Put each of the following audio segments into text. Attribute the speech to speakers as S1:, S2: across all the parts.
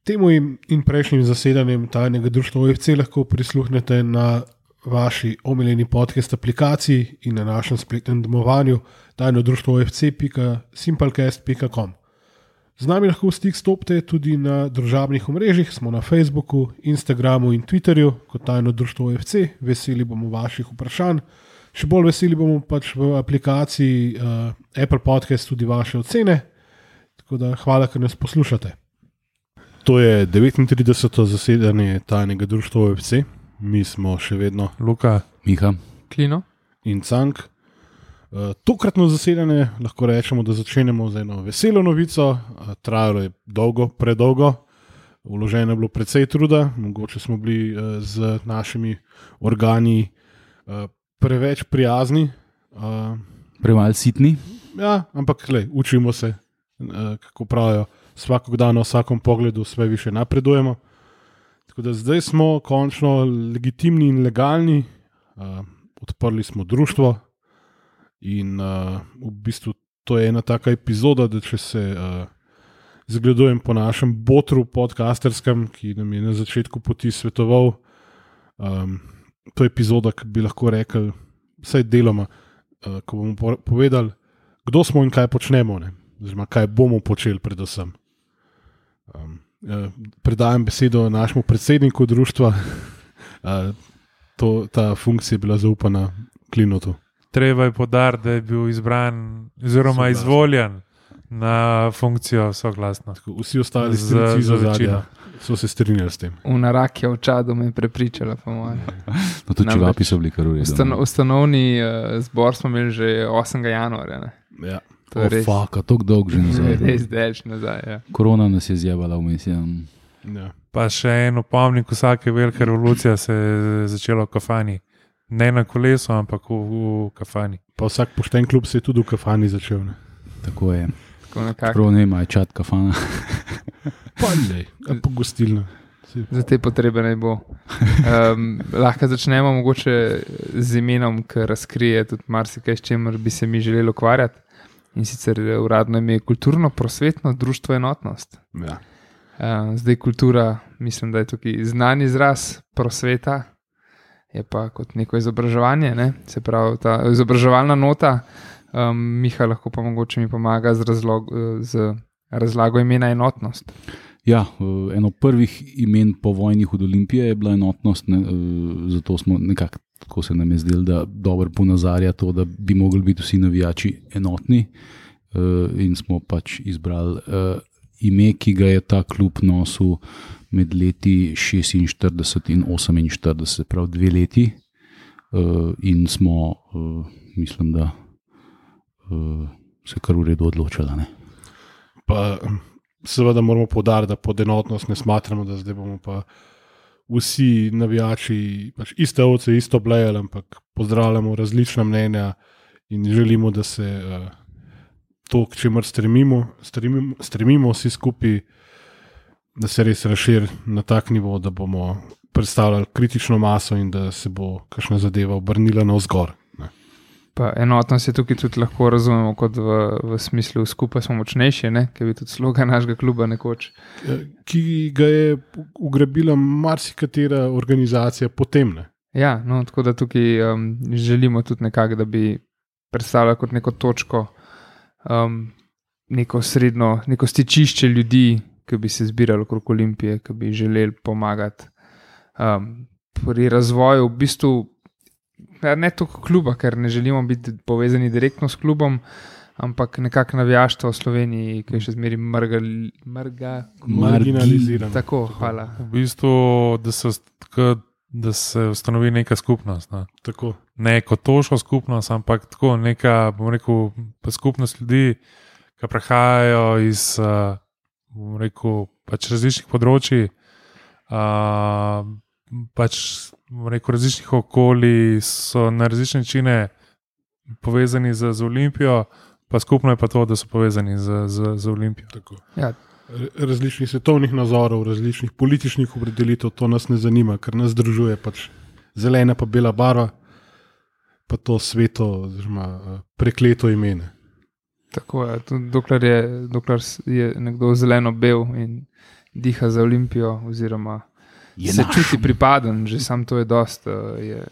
S1: Temu in prejšnjim zasedanjem tajnega društva OFC lahko prisluhnete na vaši omiljeni podcast aplikaciji in na našem spletnem domovanju tajnodruštvofc.simplecast.com. Z nami lahko v stik stopite tudi na družabnih omrežjih, smo na Facebooku, Instagramu in Twitterju kot Tajno društvo OFC. Veseli bomo vaših vprašanj. Še bolj veseli bomo pač v aplikaciji Apple Podcast tudi vaše ocene. Tako da hvala, ker nas poslušate. To je 39. zasedanje Tajnega društva OFC. Mi smo še vedno
S2: Luka,
S3: Miha,
S2: Klino
S1: in Cank. Tokratno zasedanje lahko rečemo, da začenjamo z eno veselo novico. Trajalo je dolgo, predolgo. Vloženo je bilo precej truda. Mogoče smo bili z našimi organi preveč prijazni.
S3: Premalj sitni.
S1: Ja, ampak učimo se, kako pravijo, vsakog dana, v vsakom pogledu sve više napredujemo. Tako da zdaj smo končno legitimni in legalni, odprli smo društvo in v bistvu to je ena taka epizoda, da če se zgledujem po našem botru podcasterskem, ki nam je na začetku poti svetoval, to je epizoda, ki bi lahko rekel, vsaj deloma, ko bomo povedali, kdo smo in kaj počnemo, oziroma kaj bomo počeli predvsem. Predajam besedo našemu predsedniku društva. Ta funkcija je bila zaupana Klinotu.
S2: Treba je poudariti, da je bil izbran oziroma izvoljen na funkcijo soglasno.
S1: Vsi ostali strici za zadnja so se strinjali s tem.
S4: Unarak je v čadu me prepričala, po mojem.
S3: No, tudi čevapi so bili kar v redu.
S4: Ustanovni zbor smo imeli že 8. januarja. Ne?
S1: Ja.
S4: To je res.
S3: Faka, toliko dolg že nazaj.
S4: Res delč nazaj, ja.
S3: Korona nas je zjebala vmes. Ja.
S2: Pa še en opomnik, vsake velike revolucije se je začelo v kafani. Ne na kolesu, ampak v kafani.
S1: Pa vsak pošten klub se je tudi v kafani začel. Ne?
S3: Tako je.
S4: Tako nekako.
S3: Prav ne ima čat kafana.
S1: Pa ne, po gostilno.
S4: Za te potrebe ne bo. Lahko začnemo mogoče z imenom, ki razkrije tudi marsikaj, s čemer bi se mi želeli ukvarjati. In sicer uradno ime je Kulturno-prosvetno društvo Enotnost.
S1: Ja.
S4: Zdaj kultura, mislim, da je tukaj znan izraz, prosveta je pa kot neko izobraževanje, ne? Se pravi ta izobraževalna nota. Miha lahko pa mogoče mi pomaga z razlago imena Enotnost.
S3: Ja, eno prvih imen po vojnih od Olimpije je bila Enotnost, zato smo nekako, tako se nam je zdelo, da dobro ponazarja to, da bi mogli biti vsi navijači enotni, in smo pač izbrali ime, ki ga je ta klub nosil med leti 46 in 48, prav 2 leti, in smo, mislim, da se kar v redu odločila. Ne?
S1: Pa seveda moramo poudariti, da pod enotnost ne smatramo, da zdaj bomo pa vsi navijači pač iste ovce, isto blejali, ampak pozdravljamo različna mnenja in želimo, da se to, k čemer stremimo vsi skupaj, da se res razširi na tak nivo, da bomo predstavljali kritično maso in da se bo kakšna zadeva obrnila navzgor.
S4: Pa enotnost je tukaj tudi lahko razumemo kot v smislu skupaj smo močnejši, ne? Ker je tudi slogan našega kluba nekoč.
S1: Ki ga je ugrabila marsikatera organizacija potem. Ne?
S4: Ja, no, tako da tukaj želimo tudi nekako, da bi predstavljali kot neko točko, neko srednjo, neko stičišče ljudi, ki bi se zbirali okrog Olimpije, ki bi želeli pomagati pri razvoju v bistvu. Ne toliko kluba, ker ne želimo biti povezani direktno s klubom, ampak nekako navijaštvo v Sloveniji, ki je še zmeri
S1: marginalizirano.
S4: Tako, hvala.
S2: V bistvu, da se ustanovi neka skupnost. Ne,
S1: tako.
S2: Ne kot toško skupnost, ampak tako neka, bom rekel, skupnost ljudi, ki prihajajo iz, bom rekel, pač različnih področji, pač rekel, različnih okolij, so na različne načine povezani z Olimpijo, pa skupno je pa to, da so povezani z Olimpijo.
S4: Ja.
S1: Različnih svetovnih nazorov, različnih političnih opredelitev, to nas ne zanima, ker nas združuje pač zelena pa bela barva, pa to sveto, oziroma prekleto imene.
S4: Tako je, dokler je nekdo zeleno-bel in diha za Olimpijo, oziroma se čuti pripaden, že sam to je dost,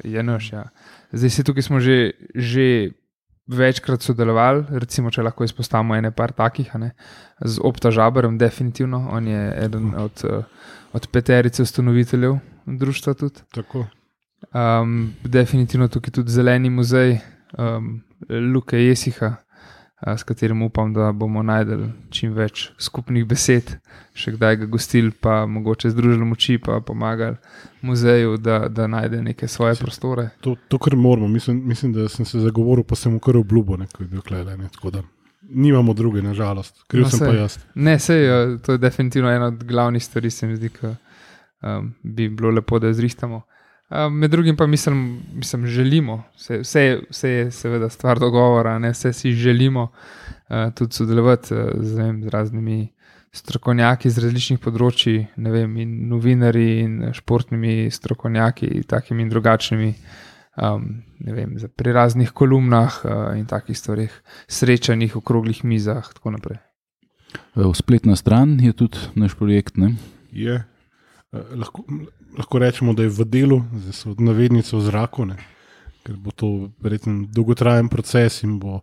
S4: je naš. Ja. Zdaj se tukaj smo že večkrat sodelovali, recimo, če lahko izpostavimo ene par takih, z Opta Žaberem, definitivno, on je eden od peterice ustanoviteljev društva tudi.
S1: Tako.
S4: Definitivno tukaj tudi Zeleni muzej, Luke Jesiha, s katerim upam, da bomo najdeli čim več skupnih besed, še kdaj ga gostili, pa mogoče združili moči, pa pomagali muzeju, da najde neke svoje prostore.
S1: To kar moramo, mislim, da sem se zagovoril, pa sem mu kar obljubil, ko je bil klele, tako da nimamo druge, nažalost, kriv sem pa jaz.
S4: Ne, sej, to je definitivno ena od glavnih stvari, se mi zdi, ki bi bilo lepo, da jo zrihtamo. Med drugim pa mislim želimo, vse je seveda stvar dogovora, vse si želimo tudi sodelovati z raznimi strokovnjaki z različnih področji, in novinarji in športnimi strokovnjaki, takimi in drugačnimi, pri raznih kolumnah in takih stvarih, srečanjih, okroglih mizah, tako naprej.
S3: Spletna stran je tudi naš projekt, ne?
S1: Je. Lahko rečemo, da je v delu, zdaj so navednice v zraku, ker bo to verjetno dolgotrajen proces in bo,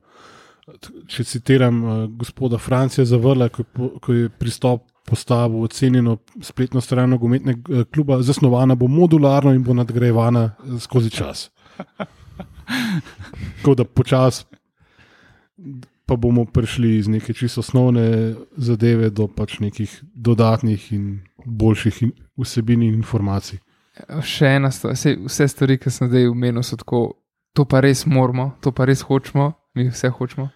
S1: če citiram gospoda Francija Zavrla, ko je pristop postavil ocenjeno spletno stran nogometnega kluba, zasnovana bo modularno in bo nadgrajevana skozi čas. Tako da počas pa bomo prišli iz neke čisto osnovne zadeve do pač nekih dodatnih in boljših vsebin in informacij.
S4: Še ena stvar, vse stvari, ki sem zdaj omenil, so tako, to pa res moramo, to pa res hočemo, mi vse hočemo,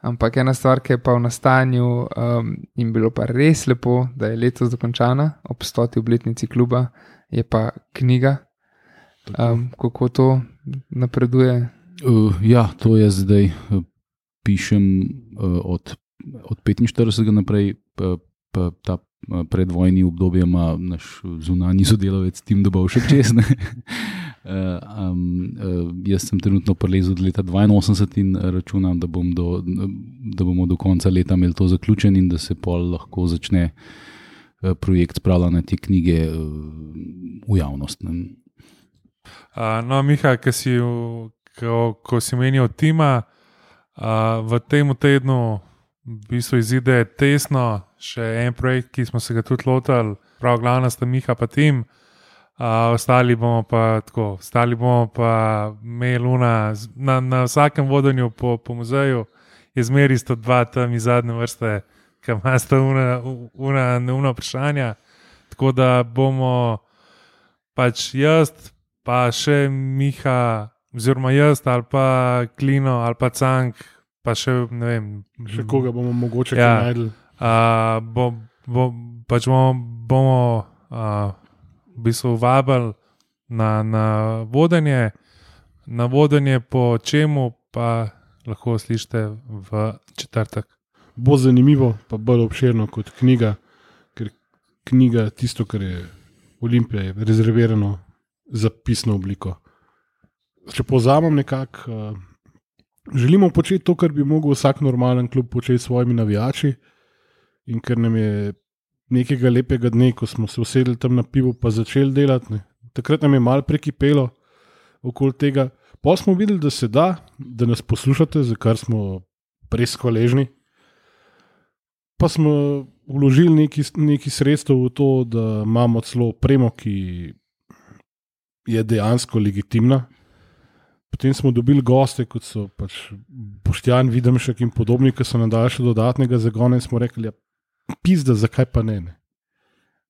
S4: ampak ena stvar, ki je pa v nastanju in bilo pa res lepo, da je letos dokončana, ob 100. obletnici kluba, je pa knjiga. Kako to napreduje?
S3: Ja, to je zdaj, pišem od 45. naprej, pa ta predvojni obdobje ima naš zunanji sodelavec Tim Dobovšek čez. Jaz sem trenutno prelezel od leta 82 in računam, da bomo do konca leta imeli to zaključen in da se pol lahko začne projekt spravljanja te knjige v javnost.
S2: No, Miha, ko si menil Tima, v tem tednu v bistvu izide Tesno, še en projekt, ki smo se ga tudi lotili, prav glavna sta Miha pa Tim, ostali bomo pa Meluna, na vsakem vodenju po muzeju je zmeri 102 tam iz zadnje vrste, ki ima sta neumna vprašanja, tako da bomo pač jaz, pa še Miha, oziroma jaz, ali pa Klino, ali pa Cank, pa še ne vem.
S1: Še koga bomo mogoče najdli.
S2: Bomo v bistvu vabili na vodenje, po čemu pa lahko slišite v četrtek.
S1: Bo zanimivo, pa bolj obširno kot knjiga, ker knjiga, tisto, kar je Olimpija, je rezervirano za pisno obliko. Če povzamem nekako, želimo početi to, kar bi mogel vsak normalen klub početi s svojimi navijači, in ker nam je nekega lepega dne, ko smo se usedli tam na pivu pa začeli delati, takrat nam je malo prekipelo okoli tega. Pa smo videli, da se da nas poslušate, za kar smo res hvaležni. Pa smo vložili neki sredstev v to, da imamo celo opremo, ki je dejansko legitimna. Potem smo dobili goste, kot so pač Boštjan Videmšek in podobni, ki so nam dali še dodatnega zagona in smo rekli, pizda, zakaj pa ne?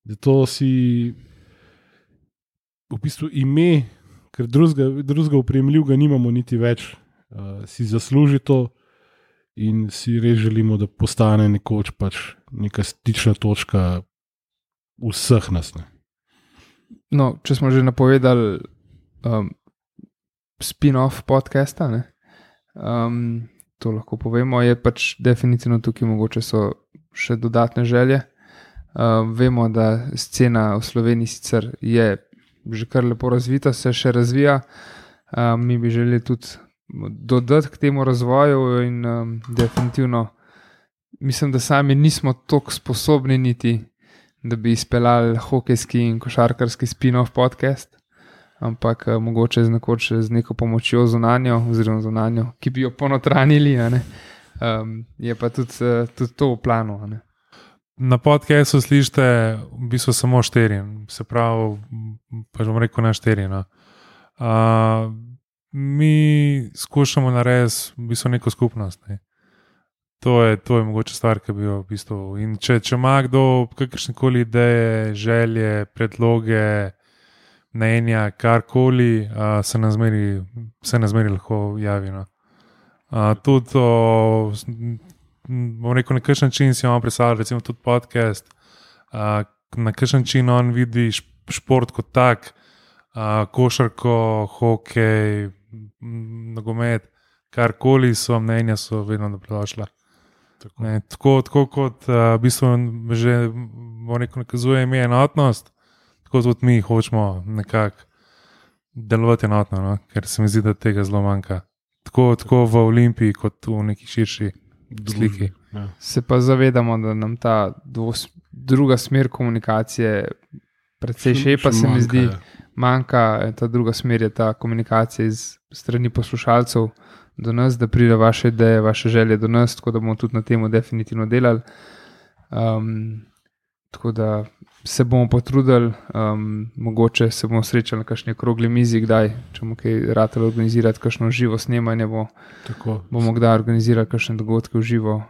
S1: Da to si v bistvu ime, ker drugega opremljivega nimamo niti več, si zasluži to in si res želimo, da postane nekoč pač neka stična točka vseh nas.
S4: No, če smo že napovedali spin-off podcasta, to lahko povemo, je pač definitivno tukaj mogoče so še dodatne želje. Vemo, da scena v Sloveniji sicer je že kar lepo razvita, se še razvija. Mi bi želeli tudi dodati k temu razvoju in definitivno mislim, da sami nismo toliko sposobni niti da bi izpeljali hokejski in košarkarski spin-off podcast, ampak mogoče z neko pomočjo zunanjo, ki bi jo ponotranili, je pa tudi to v planu.
S2: Na podcastu slišite v bistvu samo 4, se pravi, pa že bom rekel na 4. No. Mi skušamo narediti v bistvu neko skupnost. Ne. To je mogoče stvar, ki bi jo v bistvu. In če ima kdo kakršnekoli ideje, želje, predloge, mnenja, karkoli, se nas zmeri lahko javi. No. Tudi bom rekel, na kakšen način si imamo predstavljati, recimo tudi podcast, na kakšen način on vidi šport kot tak, košarko, hokej, nogomet, karkoli so mnenja, so vedno dobrodošla. Tako kot v bistvu že nakazuje ime enotnost, tako tudi mi hočemo nekako delovati enotno, no? Ker se mi zdi, da tega zelo manjka. Tako v Olimpiji, kot v neki širši sliki.
S1: Ja.
S4: Se pa zavedamo, da nam ta druga smer komunikacije precej šepa, se mi zdi, manjka. Ta druga smer je ta komunikacija iz strani poslušalcev do nas, da pride vaše ideje, vaše želje do nas, tako da bomo tudi na temu definitivno delali. Tako da se bomo potrudili, mogoče se bomo srečali na kakšni okrogli mizi, kdaj, če bomo kaj ratali organizirati, kakšno živo snemanje, bomo kdaj organizirali kakšne dogodke v živo.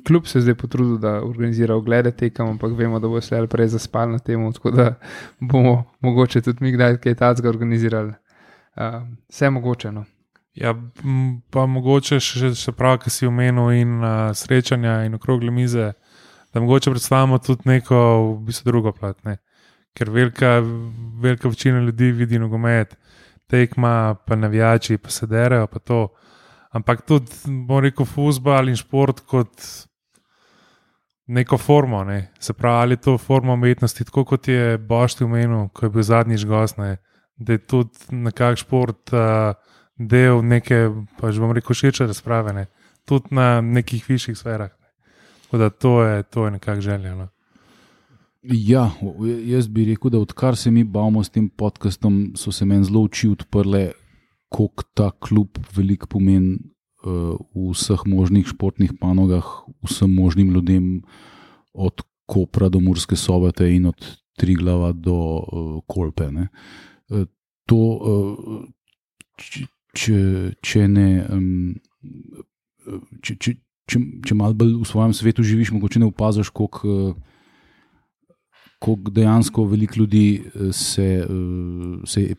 S4: Klub se zdaj potrudil, da organizira oglede tekem, ampak vemo, da bo se prej zaspal na temu, tako da bomo mogoče tudi mi kdaj kaj tacga organizirali. Vse mogoče, no.
S2: Ja, pa mogoče še prav, ki si omenil in srečanja in okrogle mize, da mogoče predstavimo tudi neko v bistvu drugo plat, ne? Ker velika večina ljudi vidi nogomet, tekma, pa navijači, pa se derejo, pa to. Ampak tudi, bom rekel, fuzbal in šport kot neko formo, ne? Se pravi, ali to forma umetnosti, tako kot je Bošti omenil, ko je bil zadnjič gost, ne? Da je tudi nekak šport del neke, pa že bom rekel, širše razprave, ne? Tudi na nekih višjih sferah. Tako da to je nekak želja. No?
S3: Ja, jaz bi rekel, da odkar se mi bavimo s tem podcastom, so se meni zelo oči odprle, koliko ta klub veliko pomeni v vseh možnih športnih panogah, vsem možnim ljudem, od Kopra do Murske Sobote in od Triglava do Kolpe. Ne. Če malo bolj v svojem svetu živiš, mogoče ne opaziš, koliko dejansko veliko ljudi se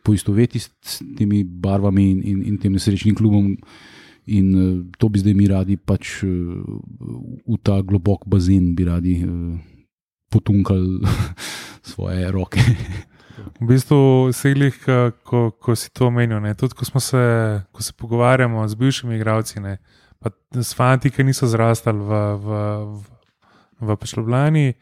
S3: poistoveti s temi barvami in tem nesrečnim klubom, in to bi zdaj mi radi pač v ta globok bazen bi radi potunkali svoje roke.
S2: V bistvu seglih, ko si to omenil, tudi ko se pogovarjamo z bivšimi igralci, pa s fanti, ki niso zrastali v Ljubljani,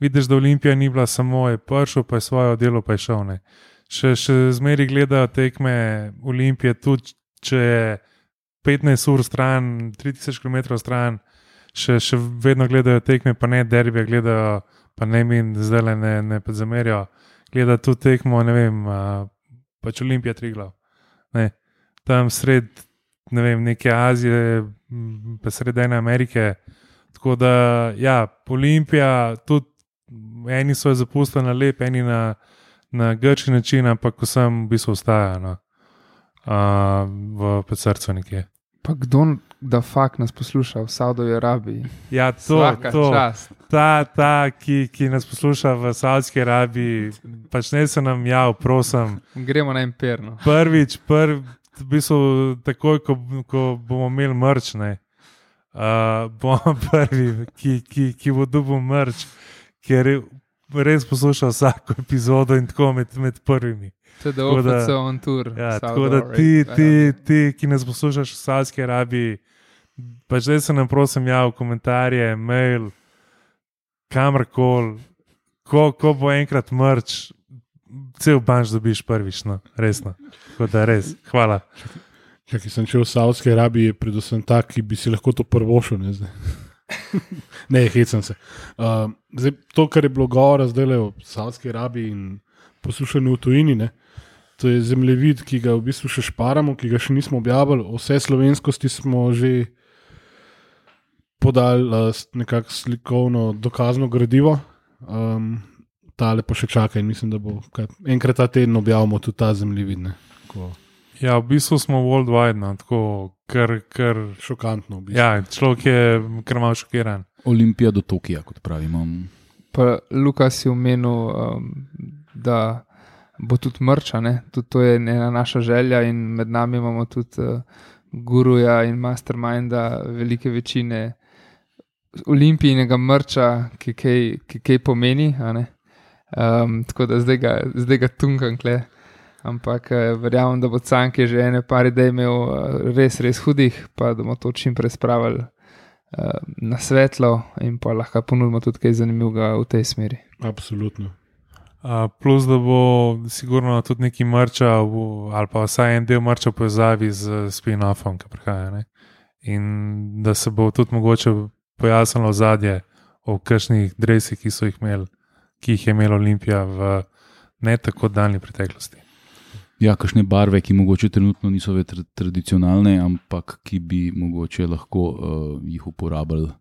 S2: vidiš, da Olimpija ni bila samo je prišel, pa je svoje delo pa je šel. Ne. Še zmeri gledajo tekme Olimpije, tudi če je 15 ur stran, 3000 km stran, še vedno gledajo tekme, pa ne derbije, gledajo, pa ne min, zdaj ne zamerijo, gledajo tudi tekmo, ne vem, pač Olimpija Triglav. Ne. Tam sred neke Azije, pa sredine Amerike. Tako da, ja, Olimpija, tudi eni so jo zapustili na lep, eni na grčki način, ampak vsem v bistvu ostaja v srcu nekje.
S4: Pa kdo da fakt nas posluša v Saudovski Arabiji?
S2: Ja, ki nas posluša v Saudski Arabiji, pač ne se nam prosim.
S4: Gremo na Imperno.
S2: Prvič, v bistvu, takoj, ko bomo imeli mrč, bomo prvi, ki bo dobil mrč, ker res posluša vsako epizodo in tako med prvimi.
S4: To je OFC on tour.
S2: Ja, tako da ti, ki nas poslušaš v Saudski Arabiji, pač zdaj se nam prosim v komentarje, mail, kamorkoli, ko bo enkrat mrč, cel banč dobiš prvič, resno. Tako da res, hvala.
S1: Ki sem šel v Saudski Arabiji, je predvsem tak, ki bi si lahko to prvošel, ne zdaj. Ne, hecam se. Zdaj, to, kar je bilo govora zdaj o Saudski Arabiji in poslušanju v tujini, ne, to je zemljevid, ki ga v bistvu še šparamo, ki ga še nismo objavili. Vse slovenskosti smo že podali nekako slikovno dokazno gradivo. Tale pa še čaka in mislim, da bo enkrat ta teden objavimo tudi ta zemljevid.
S2: Ja, v bistvu smo worldwide, no, tako kar
S1: šokantno. V bistvu.
S2: Ja, človek je kar malo šokiran.
S3: Olimpija do Tokija, kot pravimo.
S4: Pa Lukas je omenil, da bo tudi mrča, tudi to je ena naša želja in med nami imamo tudi guruja in masterminda velike večine olimpijnega mrča, ki kaj pomeni, tako da zdaj ga tunkam kle. Ampak verjamem, da bo Canke že ene par idej imel res hudih, pa da bomo to čim prej spravili na svetlo in pa lahko ponudimo tudi kaj zanimivega v tej smeri.
S1: Absolutno.
S2: Plus, da bo sigurno tudi neki mrča ali pa vsaj en del mrča v povezavi z spin-offom, ki prihaja. Ne? In da se bo tudi mogoče pojasnilo ozadje o kakšnih dresih, ki jih je imela Olimpija v ne tako daljni preteklosti.
S3: Ja, kakšne barve, ki mogoče trenutno niso več tradicionalne, ampak ki bi mogoče lahko jih uporabljali,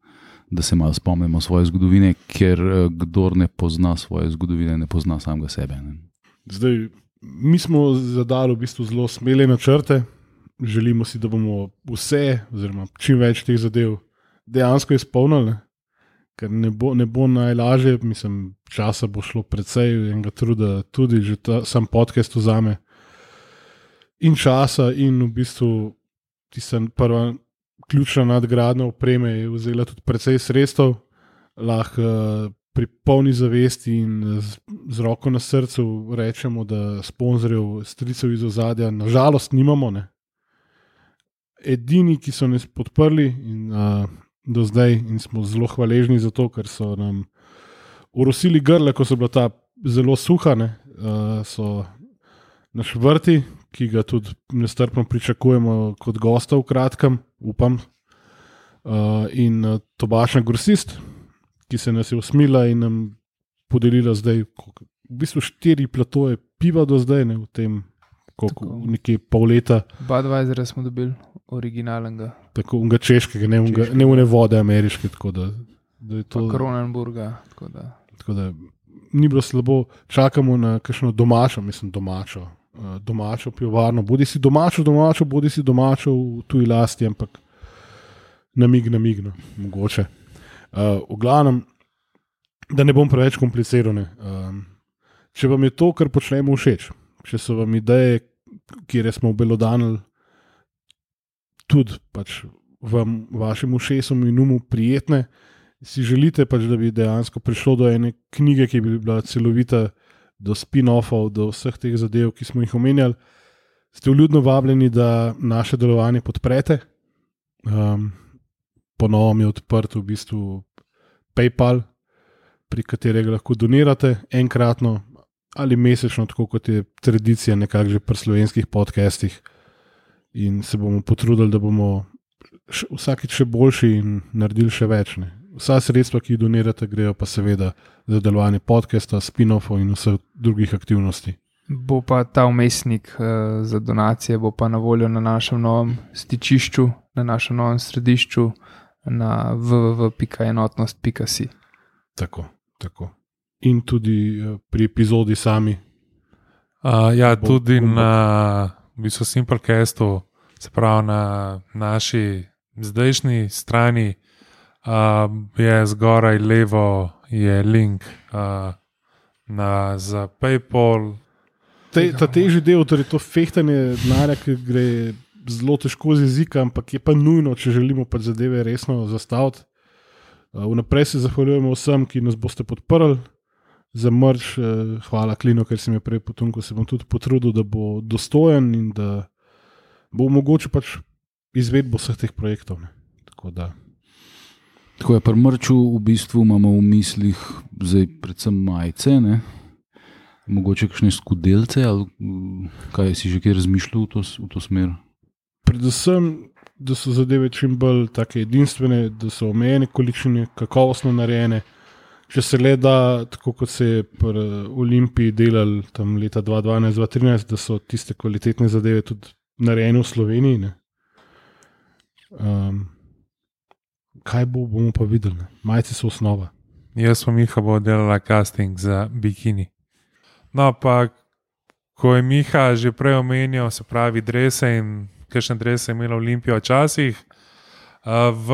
S3: da se malo spomnimo svoje zgodovine, ker kdor ne pozna svoje zgodovine, ne pozna samega sebe. Ne?
S1: Zdaj, mi smo zadali v bistvu zelo smele načrte. Želimo si, da bomo vse, oziroma čim več teh zadev dejansko izpolnili, ker ne bo najlažje, mislim, časa bo šlo precej, enega truda tudi, že sam podcast vzame. In časa, in v bistvu tista prva ključna nadgradnja opreme je vzela tudi precej sredstev, lahko pri polni zavesti in z roko na srcu rečemo, da sponzorjev, stricev iz ozadja nažalost nimamo. Ne. Edini, ki so nas podprli in do zdaj in smo zelo hvaležni za to, ker so nam orosili grle, ko so bila ta zelo suha, so naš vrti, ki ga tudi nestrpno pričakujemo kot gosta v kratkem, upam, in tobačna grosist, ki se nas je usmila in nam podelila zdaj v bistvu 4 platoje piva do zdaj, v tem nekje pol leta.
S4: Budweisera smo dobili, originalnega.
S1: Tako, unga češkega, ne une vode ameriške, tako da je to...
S4: Pa Kronenburga,
S1: tako da ni bilo slabo, čakamo na kakšno domačo pivovarno, bodi si domačo, bodi si domačo v tuji lasti, ampak namigno, mogoče. V glavnem, da ne bom preveč kompliciral, če vam je to, kar počnemo, všeč, če so vam ideje, kjer smo obelodanili, tudi pač vašim ušesom in umu prijetne, si želite pač, da bi dejansko prišlo do ene knjige, ki bi bila celovita, do spin-offov, do vseh teh zadev, ki smo jih omenjali, ste vljudno vabljeni, da naše delovanje podprete. Ponovno je odprt v bistvu PayPal, pri katerega lahko donirate enkratno ali mesečno, tako kot je tradicija nekako že pri slovenskih podcastih. In se bomo potrudili, da bomo vsakič še boljši in naredili še več. Vsa sredstva, ki jih donirate, grejo pa seveda za delovanje podcasta, spin-offov in vseh drugih aktivnosti.
S4: Bo pa ta umestnik za donacije bo pa na voljo na našem novem stičišču, na našem novem središču na www.enotnost.si.
S1: Tako. In tudi pri epizodi sami.
S2: Tudi na v bistvu Simplecastu, se pravi na naši zdajšnji strani, je zgoraj levo je link za PayPal.
S1: Ta težji del, torej to fehtanje denarja, ki gre zelo težko z jezika, ampak je pa nujno, če želimo pa zadeve resno zastaviti. Vnaprej se zahvaljujemo vsem, ki nas boste podprli. Za mrč, hvala Klino, ker si me prej potunko, se bom tudi potrudil, da bo dostojen in da bo mogoče pač izvedbo vseh teh projektov.
S3: Tako je, pri mrču v bistvu imamo v mislih zdaj predvsem majice, mogoče kakšne skudelce, ali kaj si že kaj razmišljal v to smer?
S1: predvsem, da so zadeve čim bolj take edinstvene, da so omejene količine, kakovostno narejene. Če se gleda, tako kot se je pri Olimpiji delali tam leta 2012-2013, da so tiste kvalitetne zadeve tudi narejene v Sloveniji. Ne? Kaj bomo pa videli? Ne? Majci so osnova.
S2: Jaz pa Miha bo delala casting za bikini. No, pa ko je Miha že prej omenjal, se pravi drese in kakšne drese je imela Olimpija včasih, v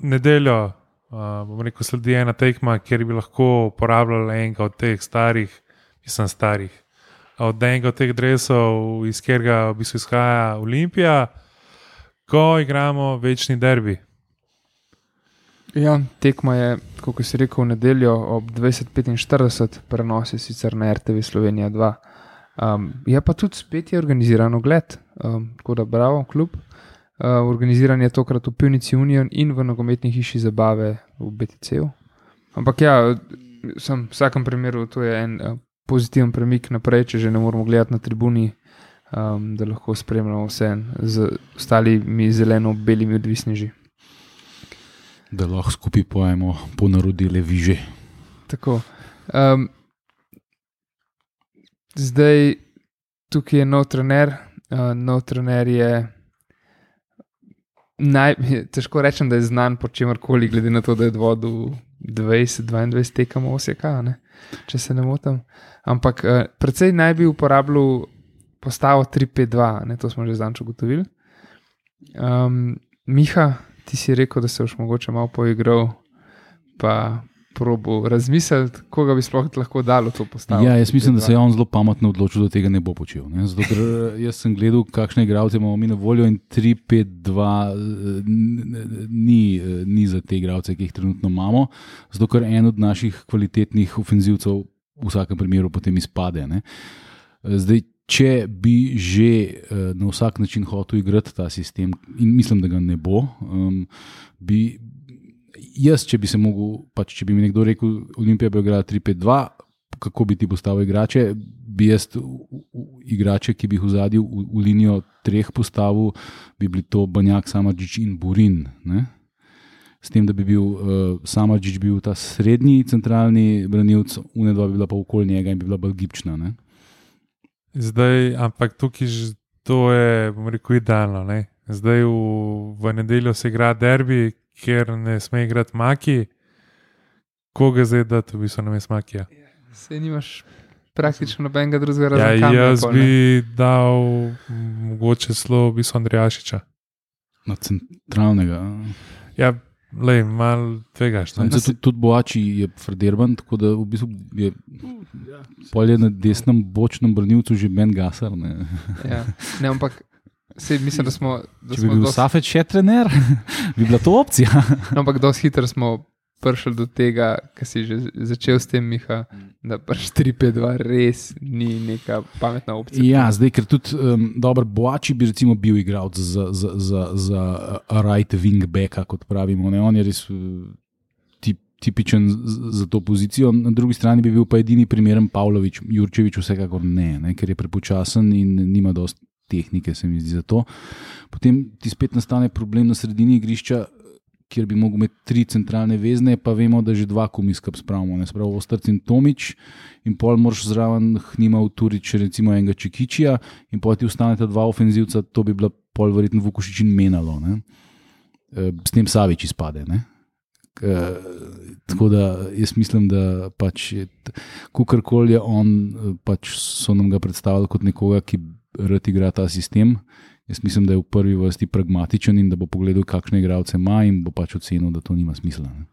S2: nedeljo bom rekel, sledi ena tekma, kjer bi lahko uporabljala enega od teh starih, od enega od teh dresov, iz katerega v bistvu izhaja Olimpija, ko igramo večni derbi.
S4: Ja, tekma je, kot si rekel, v nedeljo ob 20:45, prenos je sicer na RTV Slovenija 2. Je pa tudi spet je organiziran ogled, tako da bravo, klub. Organiziran je tokrat v Pivnici Union in v nogometni hiši zabave v BTC-u. Ampak ja, v vsakem primeru to je en pozitiven premik naprej, če že ne moramo gledati na tribuni, da lahko spremljamo vse z ostalimi zeleno-belimi odvisneži.
S3: Da lahko skupaj pojemo ponarodile viže.
S4: Tako. Zdaj tukaj je nov trener je težko rečem, da je znan po čemarkoli, glede na to, da je vodil 20-22 tekem Osijeka, če se ne motim. Ampak precej naj bi uporabljal postavo 3-5-2, to smo že zanč ugotovili. Miha, ti si rekel, da se boš mogoče malo poigral, pa probo razmisliti, koga bi sploh lahko dalo to postavo.
S3: Ja, jaz mislim, da se je on zelo pametno odločil, da tega ne bo počel. Ne? Zato, ker jaz sem gledal, kakšne igralce imamo mi na voljo in 3-5-2 ni za te igralce, ki jih trenutno imamo, zato ker en od naših kvalitetnih ofenzivcev v vsakem primeru potem izpade. Ne? Zdaj, če bi že na vsak način hotel igrati ta sistem, in mislim, da ga ne bo, jaz, če bi se mogel, če bi mi nekdo rekel, Olimpija bi igrala 3-5-2, kako bi ti postavil igrače, bi jaz igrače, ki bi jih vzadil v linijo 3 postavil, bi bili to Banjak, Samardžić in Burin. Ne? S tem, da bi bil Samardžić bil ta srednji centralni branilec, Unedva bi bila pa okoli njega in bi bila bolj gibčna. Ne?
S2: Zdaj, ampak tukaj to je, bom rekel, idealno. Ne? Zdaj v nedeljo se igra derbi, ker ne sme igrati Maki. Koga zdaj dati v bistvu namesto Makija?
S4: Sej nimaš praktično nobenega drugega razloga.
S2: Ja, jaz bi dal mogoče celo v bistvu Andrijašiča.
S3: Na centralnega.
S2: Ja, malo tvegaš.
S3: Tudi Boači je Frederban, tako da v bistvu je polje na desnem bočnem branilcu že Ben Gasar. Ne,
S4: ja. Ne, ampak mislim, da smo...
S3: Če bi bil Safet še trener, bi bila to opcija.
S4: No, ampak dosti hitro smo prišli do tega, kar si že začel s tem, Miha, da 4-5-2 res ni neka pametna opcija.
S3: Ja, zdaj, ker tudi dober Boači bi recimo bil igralec za right wing backa, kot pravimo. Ne? On je res tipičen za to pozicijo. Na drugi strani bi bil pa edini primeren Pavlović, Jurčević vsekakor ne, ker je prepočasen in nima dosti tehnike, se mi zdi za to. Potem ti spet nastane problem na sredini igrišča, kjer bi mogel imeti 3 centralne vezne, pa vemo, da že 2 komiskap spravimo. Ne spravo Ostrc in Tomič in pol moraš zraven Hnima Uturić, recimo enega Čekičija in pol ti ostaneta 2 ofenzivca, to bi bila pol verjetno Vukušić in Menalo. Ne? S tem Savić izpade. Ne? Tako da jaz mislim, da kakorkoli je on, so nam ga predstavili kot nekoga, ki rad igra ta sistem. Jaz mislim, da je v prvi vrsti pragmatičen in da bo pogledal, kakšne igralce ima in bo ocenil, da to nima smisla. Ne?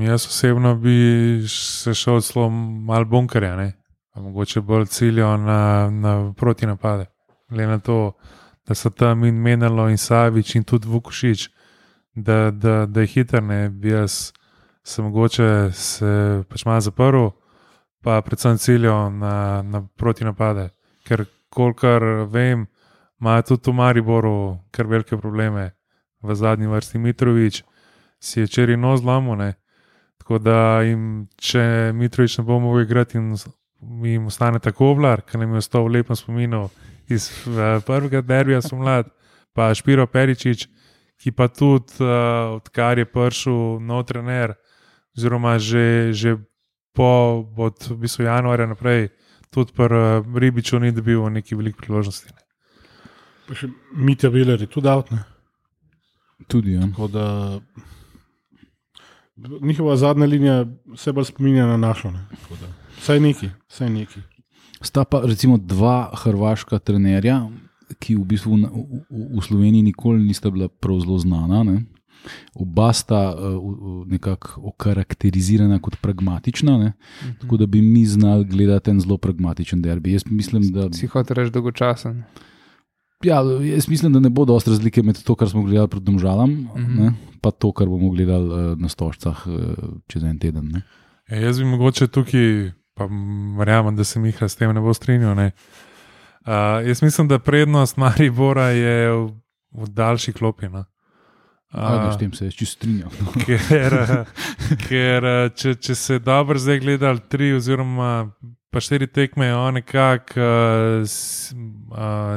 S2: Jaz osebno bi se šel celo malo bunkerja, mogoče bolj ciljo na protinapade. Glede na to, da so tam in Menalo in Savić in tudi Vukušić, da je hiter, bi jaz se mogoče malo zaprl, pa predvsem ciljo na protinapade. Ker kolikor vem, imajo tudi v Mariboru kar velike probleme. V zadnji vrsti Mitrović si je včeraj nos zlomil, tako da če Mitrović ne bo mogel igrati in jim ostane tako Vlar, ker nam je ostal v lepem spominu iz prvega derbija spomladi, pa Špiro Peričič, ki pa tudi, odkar je prišel nov trener, oziroma že od v bistvu januarja naprej, tudi pri Ribiču ni dobil neki velike priložnosti. Ne.
S1: Pa še Mitja Viler je tudi out, ne?
S3: Tudi, ja.
S1: Tako da njihova zadnja linija se bolj spominja na našo. Ne? Tako da, vsaj neki.
S3: Sta pa recimo dva hrvaška trenerja, ki v bistvu v Sloveniji nikoli nista bila prav zelo znana. Ne? Oba sta nekako okarakterizirana kot pragmatična, ne? Tako da bi mi znali gledati en zelo pragmatičen derbi. Jaz mislim, da
S4: Si hotel reči dolgočasen.
S3: Ja, jaz mislim, da ne bo dosti razlike med to, kar smo gledali pred Domžalam, ne, pa to, kar bomo gledali na Stožcah čez en teden. Ne.
S2: Jaz bi mogoče tukaj, pa verjamem, da se Miha s tem ne bo strinjal. Ne. Jaz mislim, da prednost Maribora je v daljši klopi. No.
S3: S tem se je čisto strinjal.
S2: Ker če se dobro zdaj gledali 3 oziroma pa 4 tekme, je on nekako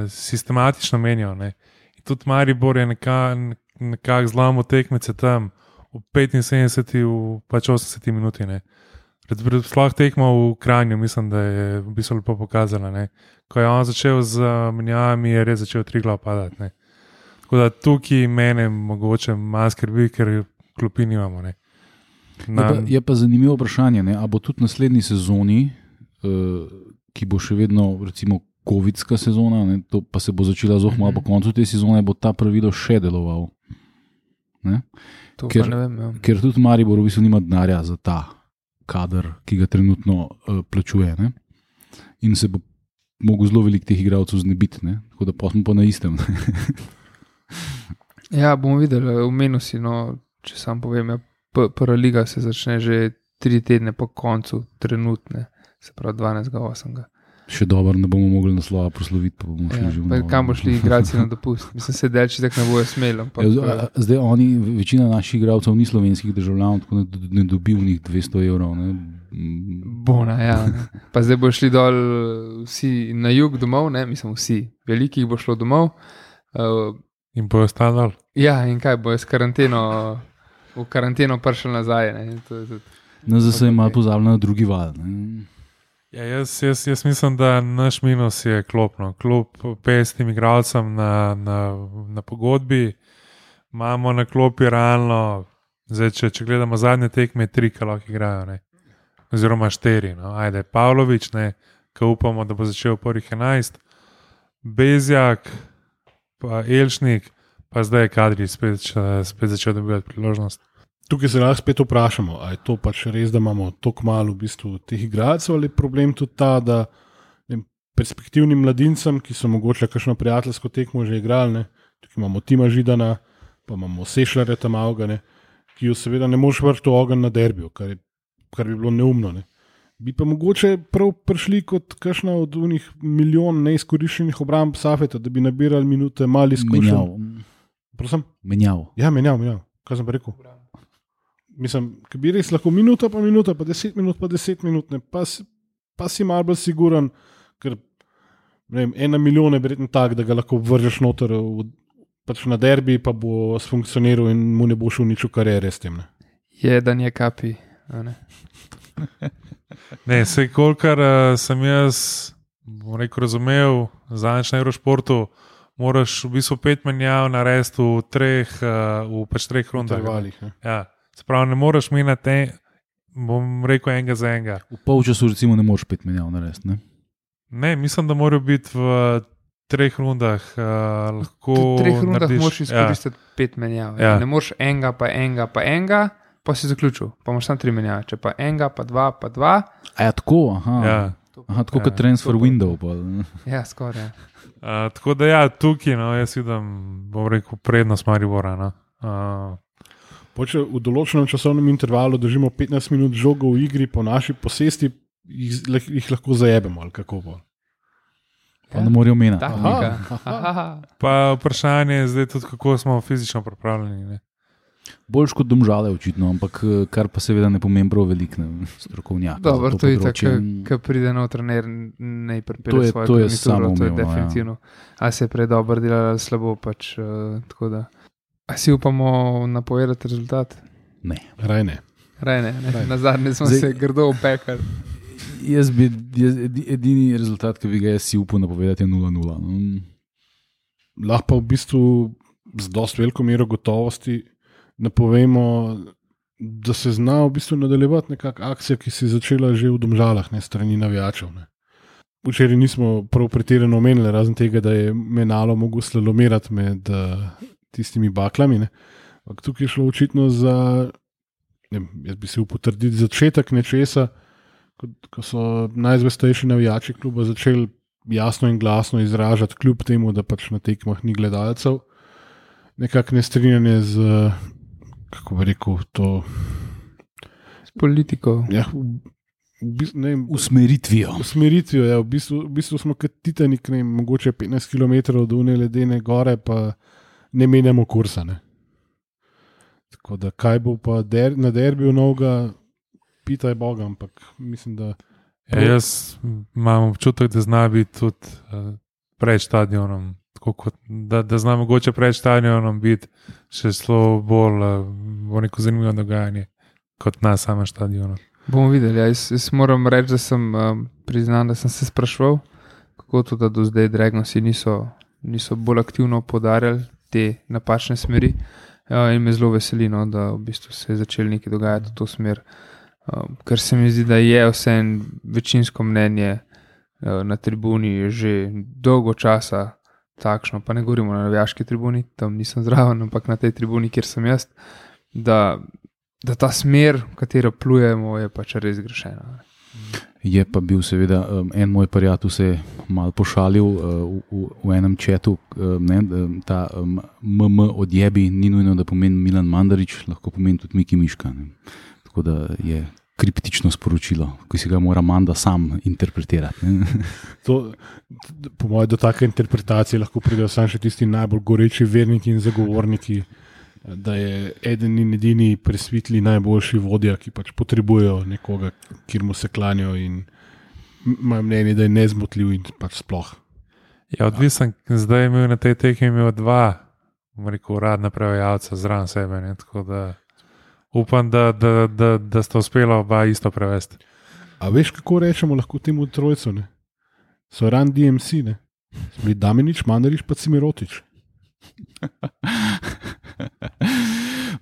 S2: sistematično menjal. Ne. In tudi Maribor je nekako zlomil tekmece tam v 75, v pač 80 minuti. Ne. Sploh tekmo v Kranju, mislim, da je v bistvu lepo pokazala. Ne. Ko je on začel z menjavami, je res začel 3 glav padati. Ne. Tako da tukaj mene mogoče malo skrbi, ker klopi nimamo. Ne.
S3: Je pa zanimivo vprašanje, ne? A bo tudi naslednji sezoni, ki bo še vedno recimo covidska sezona, ne? To pa se bo začela zelo malo po koncu te sezone, bo ta pravilo še deloval. Ne?
S4: Ker, ne vem, ja.
S3: Ker tudi Maribor v bistvu nima denarja za ta kader, ki ga trenutno plačuje. Ne? In se bo mogel zelo veliko teh igralcev znebiti, ne? Tako da pa smo pa na istem.
S4: Ja, bomo videli, omenil si, no, če sam povem, ja, prva liga se začne že 3 tedne po koncu trenutne, se pravi 12.8.
S3: Še dobro, ne bomo mogli naslova prosloviti, pa bomo šli že v novo.
S4: Kam bo šli igralci na dopust? Mislim, se delči tak ne bojo smeli.
S3: Zdaj oni, večina naših igralcev ni slovenskih državljanov, tako da ne dobi v njih 200 evrov. Ne?
S4: Bona, ja. Ne. Pa zdaj bo šli dol vsi na jug domov, ne, mislim vsi, velikih bo šlo domov.
S2: In bojo stali.
S4: Ja, in kaj bojo v karanteno prišli nazaj.
S3: Zdaj se je malo pozabljeno na drugi val. Ne?
S2: Ja, jaz mislim, da naš minus je klopno. Klub 50 igralcem na pogodbi, imamo na klopi realno, zdaj, če gledamo zadnje tekme, 3, ki lahko igrajo, ne? Oziroma 4. No? Ajde, Pavlović, ki upamo, da bo začel prvih 11, Bezjak, pa Elšnik, pa zdaj je Kadri spet začel dobivati priložnost.
S1: Tukaj se lahko spet vprašamo, ali je to pač res, da imamo toliko malo v bistvu teh igralcev, ali je problem tudi ta, da perspektivnim mladincem, ki so mogoče kakšno prijateljsko tekmo že igrali, ne? Tukaj imamo Tima Židana, pa imamo Sešljarja tam avga, ki jo seveda ne moreš vrti v ogenj na derbiju, kar bi bilo neumno. Ne? Bi pa mogoče prav prišli kot kakšna od unih milijon neizkoriščenih obramb Safeta, da bi nabirali minute mali izkušenj.
S3: Menjav.
S1: Ja, menjav. Kaj sem pa rekel? Mislim, ki bi res lahko minuta, pa 10 minut, pa 10 minut, ne? Pa si malo bolj siguren, ker ne vem, 1 milijon je verjetno tak, da ga lahko vržeš noter pač na derbi, pa bo sfunkcioniral in mu ne bo šel nič v kariere s tem. Ne?
S4: Jedan je kapi.
S2: Ne, sej kolikor sem jaz razumel, zadnjič na Eurošportu, moraš v bistvu 5 menjav narediti v 3 rundah. Ja. Sprav, ne moreš menjati, bom rekel, enega za enega.
S3: V polčasu recimo ne moreš 5 menjav narediti, ne?
S2: Ne, mislim, da morajo biti v 3 rundah. Lahko
S4: v 3 rundah
S2: narediš,
S4: moraš izkoristiti 5 menjav.
S2: Ja.
S4: Ne moreš enega, pa si zaključil. Pa moraš samo 3 menjave. Če pa enega, pa 2, pa 2.
S3: A ja, tako, aha.
S2: Ja.
S3: Aha, tako kot transfer window. Pa.
S4: Ja, skoraj. Ja.
S2: Tako da ja, tukaj, no, jaz vidim, bom rekel, prednost Maribora. No.
S1: Če v določenem časovnem intervalu držimo 15 minut žogo v igri po naši posesti, jih lahko zajebemo ali kako bo.
S3: Pa ne morajo menjati.
S2: Pa vprašanje je zdaj tudi, kako smo fizično pripravljeni. Ne?
S3: Boljš kot Domžale očitno, ampak kar pa seveda ne pomeni prav veliko strokovnjak.
S4: Dobro, to je tako, ko pride nov trener, ne pripelje svoje garnituro, to je definitivno. A se je prej dobro delalo ali slabo, pač tako da. A si upamo napovedati rezultat?
S3: Ne.
S1: Raj ne.
S4: Na zadnje smo se grdo opekali.
S3: Jaz bi edini rezultat, ki bi ga jaz si upal napovedati, je 0-0.
S1: Lahko pa v bistvu z dosti veliko mero gotovosti napovemo, da se zna v bistvu nadaljevati nekakšna akcija, ki se je začela že v Domžalah, ne strani navijačev. Ne. Včeraj nismo prav pretirano omenili, razen tega, da je Menalo mogel slalomirati med tistimi baklami. Ne. Tukaj je šlo očitno za, jaz bi se upotrdil, začetek nečesa, ko so najzvestejši navijači kluba začeli jasno in glasno izražati, kljub temu, da pač na tekmah ni gledalcev, nekako nestrinjanje z, kako bi rekel, to...
S4: S politiko.
S1: Ja,
S3: usmeritvijo.
S1: Usmeritvijo, ja, v bistvu smo kot Titanik, mogoče 15 km od une ledene gore, pa ne menjamo kursa, ne. Tako da, kaj bo pa na derbiju novega, pitaj Boga, ampak mislim, da...
S2: Ja, jaz imam občutek, da zna biti tudi pred stadionom, da zna mogoče pred stadionom biti še zelo bolj neko zanimivo dogajanje kot na samem stadionu.
S4: Bomo videli, jaz moram reči, da sem priznal, da sem se spraševal, kako to, da do zdaj Dragonsi niso bolj aktivno podarjali te napačne smeri, in me zelo veseli, no, da v bistvu se je začeli nekaj dogajati v to smer. Ker se mi zdi, da je vse večinsko mnenje na tribuni že dolgo časa takšno, pa ne govorimo na navijaški tribuni, tam nisem zraven, ampak na tej tribuni, kjer sem jaz, da ta smer, v katero plujemo, je pač res grešena.
S3: Je pa bil seveda en moj prijatelj se malo pošalil v enem četu, ta odjebi ni nujno, da pomeni Milan Mandarić, lahko pomeni tudi Miki Miška. Ne. Tako da je kriptično sporočilo, ki si ga mora Manda sam interpretirati.
S1: Po mojem, do take interpretacije lahko pridejo samo še tisti najbolj goreči verniki in zagovorniki, da je eden in edini presvetli najboljši vodja, ki pač potrebujejo nekoga, kjer mu se klanjajo in imajo mnenje, da je nezmotljiv in pač sploh.
S2: Ja, odvisen, zdaj je imel na tej tekmi dva, uradna prevajalca zraven sebe, ne, tako da upam, da sta uspela oba isto prevesti.
S1: A veš, kako rečemo lahko temu trojcu, ne? So Run DMC, ne? Smo bili Damjanić, Mandarić pa Cimirotić.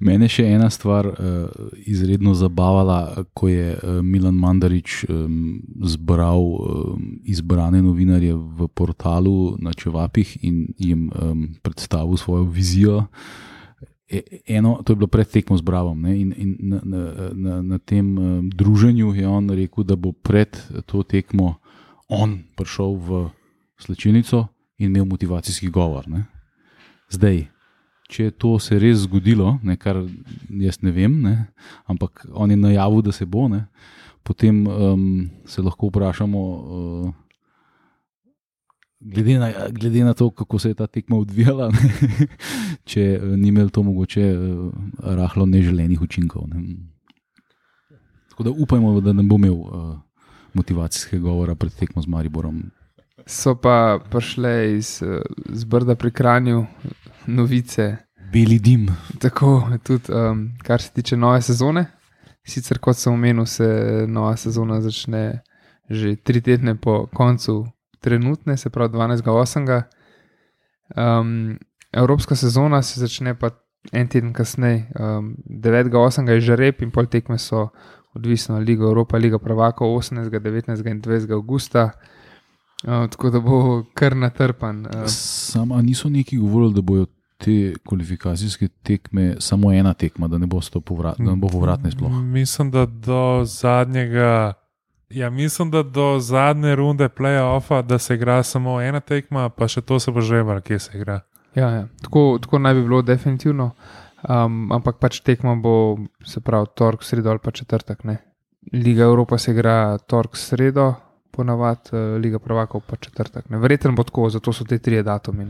S3: Mene še ena stvar izredno zabavala, ko je Milan Mandarić zbral izbrane novinarje v portalu na Čevapih in jim predstavil svojo vizijo. To je bilo pred tekmo z Bravom, ne? In na tem druženju je on rekel, da bo pred to tekmo on prišel v slačilnico in imel motivacijski govor. Ne? Zdaj, če to se res zgodilo, ne, kar jaz ne vem, ne, ampak on je najavil, da se bo, ne, potem se lahko vprašamo, glede na to, kako se je ta tekma odvijala, ne, če ni imel to mogoče rahlo neželenih učinkov. Ne. Tako da upajmo, da ne bo imel motivacijskega govora pred tekmo z Mariborom.
S4: So pa prišle iz Brda pri Kranju novice.
S3: Beli dim.
S4: Tako, tudi kar se tiče nove sezone. Sicer, kot sem omenil, se nova sezona začne že 3 tedne po koncu trenutne, se pravi 12.8. Evropska sezona se začne pa en teden kasneje. 9.8. je žreb in pol tekme so odvisno Liga Evropa, Liga prvakov 18., 19. in 20. augusta. Tako da bo kar natrpan.
S3: Sama niso neki govorili, da bojo te kvalifikacijske tekme samo ena tekma, da ne bo povratne sploh.
S2: Mislim, da do zadnje runde play-offa, da se igra samo ena tekma, pa še to se bo žrebalo, kje se igra.
S4: Ja. Tako naj bi bilo definitivno, ampak pač tekma bo, se pravi, tork, sredo ali pa četrtek. Ne? Liga Evropa se igra tork, sredo, ponavadi Liga prvakov pa četrtek. Verjetno bo tako, zato so te 3 datumi.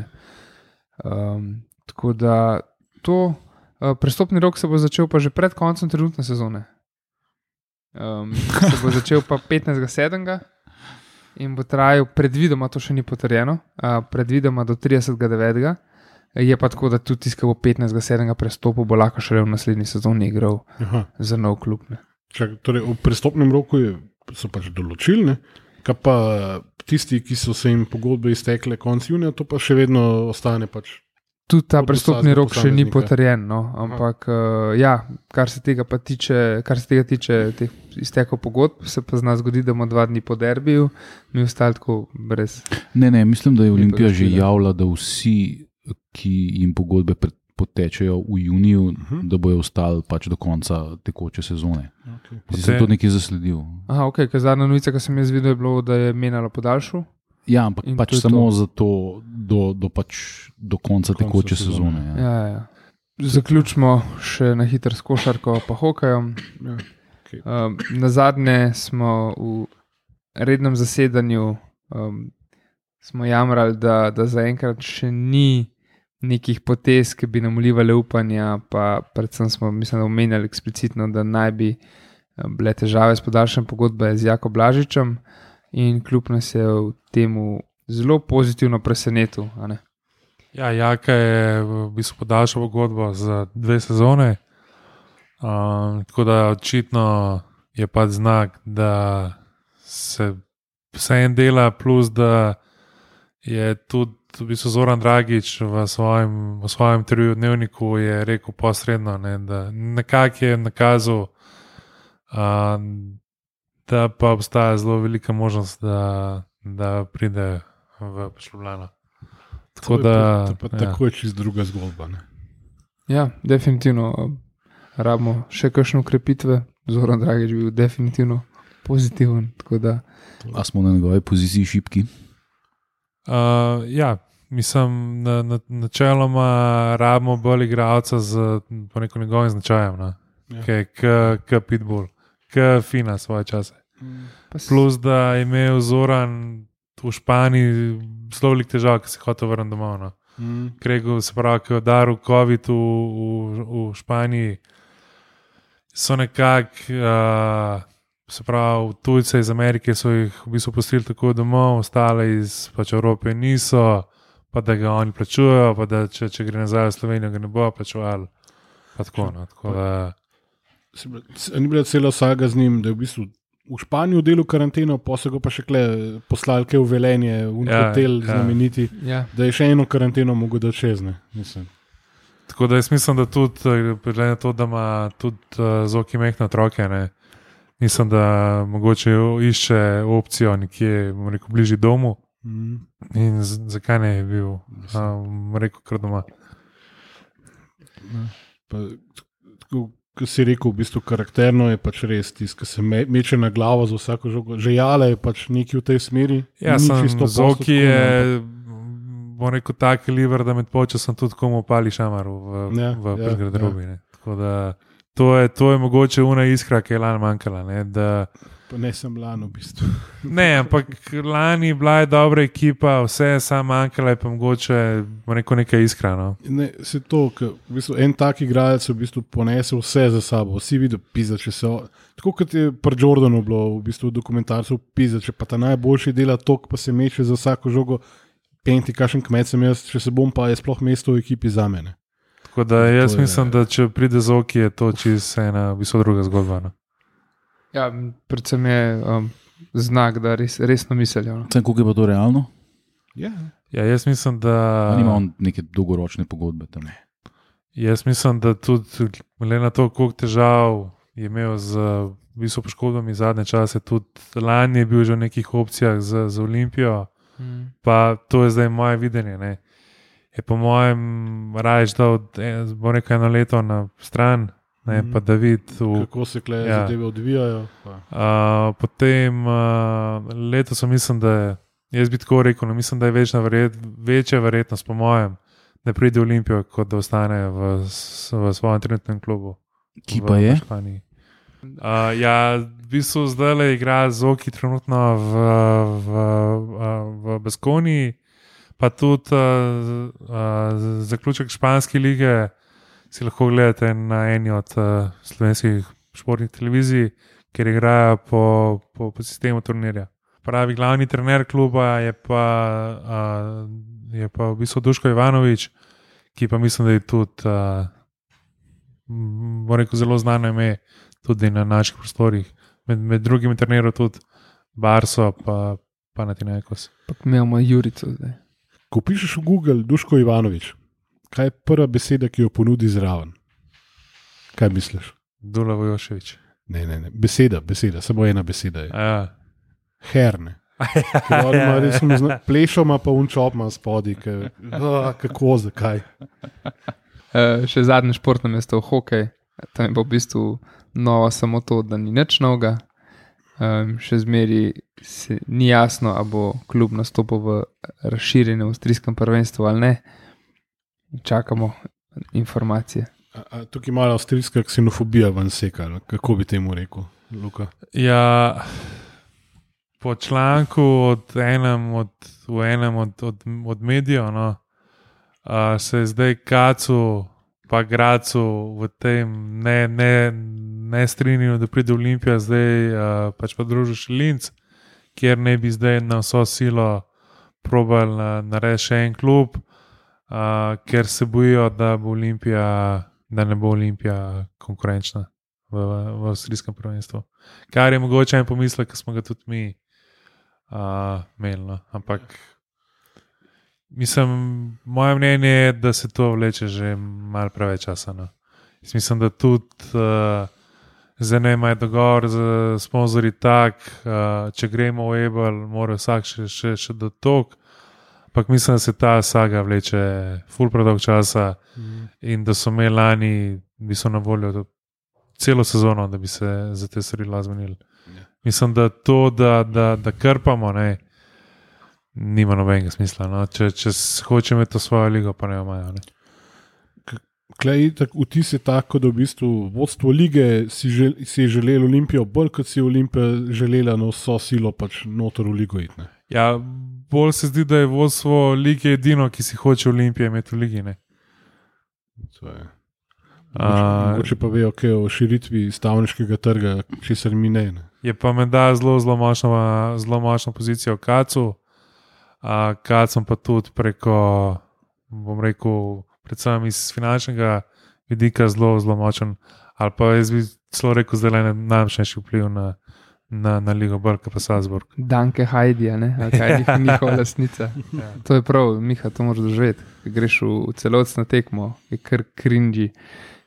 S4: Tako da to Prestopni rok se bo začel pa že pred koncem trenutne sezone. Se bo začel pa 15.7. in bo trajal predvidoma, to še ni potrjeno, predvidoma do 30.9. Je pa tako, da tudi tisti, ki bo 15.7. prestopil, bo lahko šele v naslednji sezoni igral za nov klub.
S1: Torej, v prestopnem roku so pač določili, ne? Kaj pa tisti, ki so se jim pogodbe iztekle konec junija, to pa še vedno ostane pač.
S4: Tudi ta prestopni rok še ni potrjen, no? Ampak kar se tega tiče teh iztekov pogodb, se pa zna zgodi, da bomo 2 dni po derbiju, mi ostali tako brez.
S3: Ne, mislim, da je Olimpija že javila, da vsi, ki jim pogodbe potečejo v juniju, da bojo ostali pač do konca tekoče sezone. Okay. Si to nekaj zasledil?
S4: Aha, ok, ker zadnja novica, ki sem jaz videl, je bilo, da je menjalo podaljšu.
S3: Ja, ampak pač samo zato do konca tekoče sezone.
S4: Ja. Zaključimo še na hitro s košarko pa hokejem.
S1: Ja. Okay.
S4: Na zadnje smo v rednem zasedanju smo jamrali, da zaenkrat še ni nekih potez, ki bi nam vlivali upanja, pa predvsem smo, mislim, da omenjali eksplicitno, da naj bi bile težave s podaljšanjem pogodbe z Jako Blažičem in klub nas je v temu zelo pozitivno presenetil.
S2: Ja, Jaka je v bistvu podaljšal pogodbo za 2 sezone, tako da očitno je pa znak, da se vse en dela, plus da je tudi v bistvu Zoran Dragič v svojem intervjuju v Dnevniku je rekel posredno, da nekako je nakazal, da pa obstaja zelo velika možnost, da pride v Ljubljano.
S1: Tako je čisto druga zgodba. Ne?
S4: Ja, definitivno. Rabimo še kakšne ukrepitve. Zoran Dragič bil definitivno pozitiven.
S3: A smo na njegovi poziciji šibki?
S2: Ja, mislim, načeloma rabimo bolj igralca po nekom njegovim značajem, k Pitbull, k Fina svoje čase. Plus, da je imel Zoran v Španiji zelo velik težav, ki se je hotel vrniti domov. No. Kregu, se pravi, ki je udaril COVID v Španiji, so nekako, se pravi, tujce iz Amerike so jih v bistvu pustili tako domov, ostale iz pač Evrope niso, pa da ga oni plačujejo, pa da če gre nazaj v Slovenijo, ga ne bo plačevali. Pa tako, no.
S1: Ni bila cela saga z njim, da je v bistvu v Španiji delal karanteno, pa so ga pa še poslali v Velenje, v hotel znameniti, da je še eno karanteno mogel dati čezne.
S2: Tako da jaz mislim, da tudi, glede na to, da ima tudi Zoki mehne otroke, mislim, da mogoče išče opcijo nekje, rekel, bližje domu. In zakaj ne je bil, rekel, kar doma.
S1: Ko si rekel, v bistvu karakterno je pač res tisto, ki se meče na glavo za vsako žogo. Že Jale je pač nekaj v tej smeri.
S2: Ja, Zoki je, bom rekel, tak kaliber, da med počasom tudi komu pali šamaru v garderobi. Tako da to je mogoče una iskra, ki je lani manjkala.
S1: Pa ne sem lani v bistvu.
S2: Ne, ampak lani bila je dobra ekipa, vse je samo manjkala, je pa mogoče neka iskra. No?
S1: Ne, se to, v bistvu, en tak igralec v bistvu ponese vse za sabo. Vsi vidijo pizda, če se... Tako kot je pri Jordanu bilo v bistvu dokumentarcev pizda, če pa ta najboljši dela tok, pa se meče za vsako žogo, penti, kakšen kmet sem jaz, če se bom pa je sploh mesto v ekipi za mene.
S2: Tako da jaz mislim, da če pride Zoki, je to čisto ena v bistvu druga zgodba. No?
S4: Ja, predvsem je znak, da resno mislijo.
S3: Koliko je pa to realno?
S1: Ja,
S2: jaz mislim, da...
S3: Ali ima on neke dolgoročne pogodbe tam?
S2: Jaz mislim, da tudi, glede na to, koliko težav je imel z visoko poškodbami zadnje čase, tudi lani je bil že v nekih opcijah za Olimpijo, pa to je zdaj moje videnje. Ne? Je po mojem rajš dal, bo nekaj eno leto na stran, pa da vidi,
S1: kako se zadeve odvijajo.
S2: Potem letos mislim, da je, jaz bi tako rekel, mislim, da je večja verjetnost po mojem, da pride v Olimpijo, kot da ostane v svojem trenutnem klubu.
S3: Ki pa je?
S2: V bistvu zdaj igra Zoki trenutno v Baskoniji, pa tudi zaključek španske lige si lahko gledate na eni od slovenskih športnih televizij, kjer igrajo po sistemu turnirja. Pravi glavni trener kluba je pa v bistvu Duško Ivanovič, ki pa mislim, da je tudi zelo znano ime tudi na naših prostorih. Med drugimi trenerji tudi Barso pa Panathinaikos.
S4: Pa imamo Jurico zdaj.
S1: Ko pišeš v Google Duško Ivanovič, kaj je prva beseda, ki jo ponudi zraven? Kaj misliš?
S2: Dula Vojošević.
S1: Ne. Beseda, samo ena beseda je.
S2: Ja.
S1: Herne. Plešoma pa unčopma spodi, kako, zakaj.
S4: Še zadnje športno mesto v hokej, tam je pa v bistvu novo samo to, da ni nič novega. Še zmeri ni jasno, ali bo klub nastopil v razširjenem avstrijskem prvenstvu ali ne. Čakamo informacije.
S1: Tukaj je malo avstrijska ksenofobija ven seka, kako bi temu rekel, Luka?
S2: Ja, po članku v enem od medijev, se je zdaj Kacu pa Gracu v tem ne strinjajo, da pride Olimpija, zdaj pač pa družiš Linz, kjer ne bi zdaj na vso silo probali narediti še en klub, ker se bojijo, da ne bo Olimpija konkurenčna v avstrijskem prvenstvu. Kar je mogoče en pomislek, ki smo ga tudi mi imeli. Ampak mislim, moje mnenje je, da se to vleče že malo preveč časa. Mislim, da tudi zdaj ne imajo dogovor z sponzorji tak, če gremo v Ebel, mora vsak še do tok. Ampak mislim, da se ta saga vleče ful predolg časa in da so imeli lani, bi so na voljo celo sezono, da bi se za te stvari zmenili. Mislim, da to, da krpamo, nima nobenega smisla. Če hoče imeti to svojo ligo, pa ne imajo.
S1: Vtis je tako, da v bistvu vodstvo lige si je želelo Olimpijo bolj, kot si je Olimpija želela na vso silo pač noter v ligo iti.
S2: Ja, bolj se zdi, da je vodstvo lige edino, ki si hoče Olimpije imeti v ligi.
S1: To je. Mogoče pa vejo, kaj o širitvi stavniškega trga, česar mi ne.
S2: Je pa menda zelo močna pozicija v Kacu. Kacom pa tudi preko, bom rekel, predvsem iz finančnega vidika zelo močen. Ali pa jaz bi celo rekel, da je najmočnejši vpliv na Ligo Brka pa Salzburg.
S4: Danke Heidija, Heidi njihova lasnica. Ja. To je prav, Miha, to moraš doživeti. Greš v celotno tekmo, je kar cringy.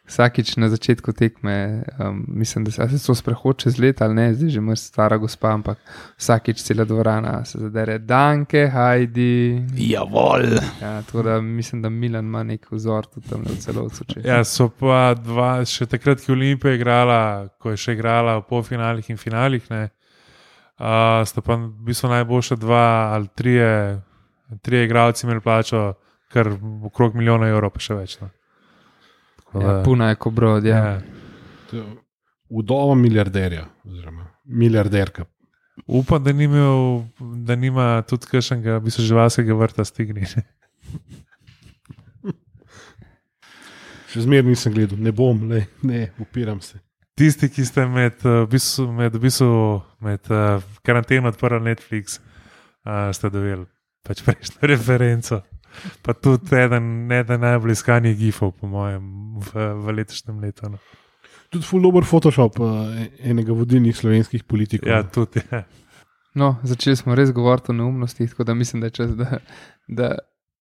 S4: Vsakič na začetku tekme, mislim, da se to sprehod čez let ali ne, zdaj že imaš stara gospa, ampak vsakič cela dvorana se zadere. Danke, Heidi.
S3: Javol.
S4: Ja, tako da mislim, da Milan ima nek vzor tudi tam v celotcu.
S2: Ja, so pa dva, še takrat, ki Olimpija igrala, ko je še igrala v polfinalih in finalih, sta pa v bistvu najboljša dva ali trije igralci imeli plačo kar okrog €1 milijon, pa še več.
S4: Ja, puna je kobrod, ja.
S1: Vdova milijarderja, oziroma milijarderka.
S2: Upam, da nima tudi kakšnega živalskega vrta stigni.
S1: Še zmeraj nisem gledal, ne bom, ne, upiram se.
S2: Tisti, ki ste med karanteno odprli Netflix, ste dobili pač prejšnjo referenco. Pa tudi eden najbolj iskanih gifov, po mojem, v letošnjem letu.
S1: Tudi full dober Photoshop enega vodilnih slovenskih politikov.
S2: Ja, tudi. Ja.
S4: No, začeli smo res govoriti o neumnostih, tako da mislim, da je čas, da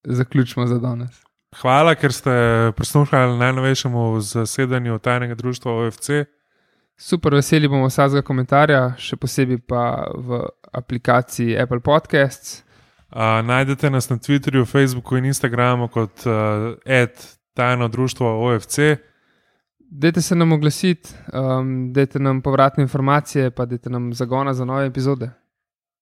S4: zaključimo za danes.
S2: Hvala, ker ste prisluhnili najnovejšemu zasedanju tajnega društva OFC.
S4: Super, veseli bomo vsakega komentarja, še posebej pa v aplikaciji Apple Podcasts.
S2: Najdete nas na Twitterju, Facebooku in Instagramu kot @tajno društvo OFC.
S4: Dajte se nam oglasiti, dajte nam povratne informacije, pa dajte nam zagona za nove epizode.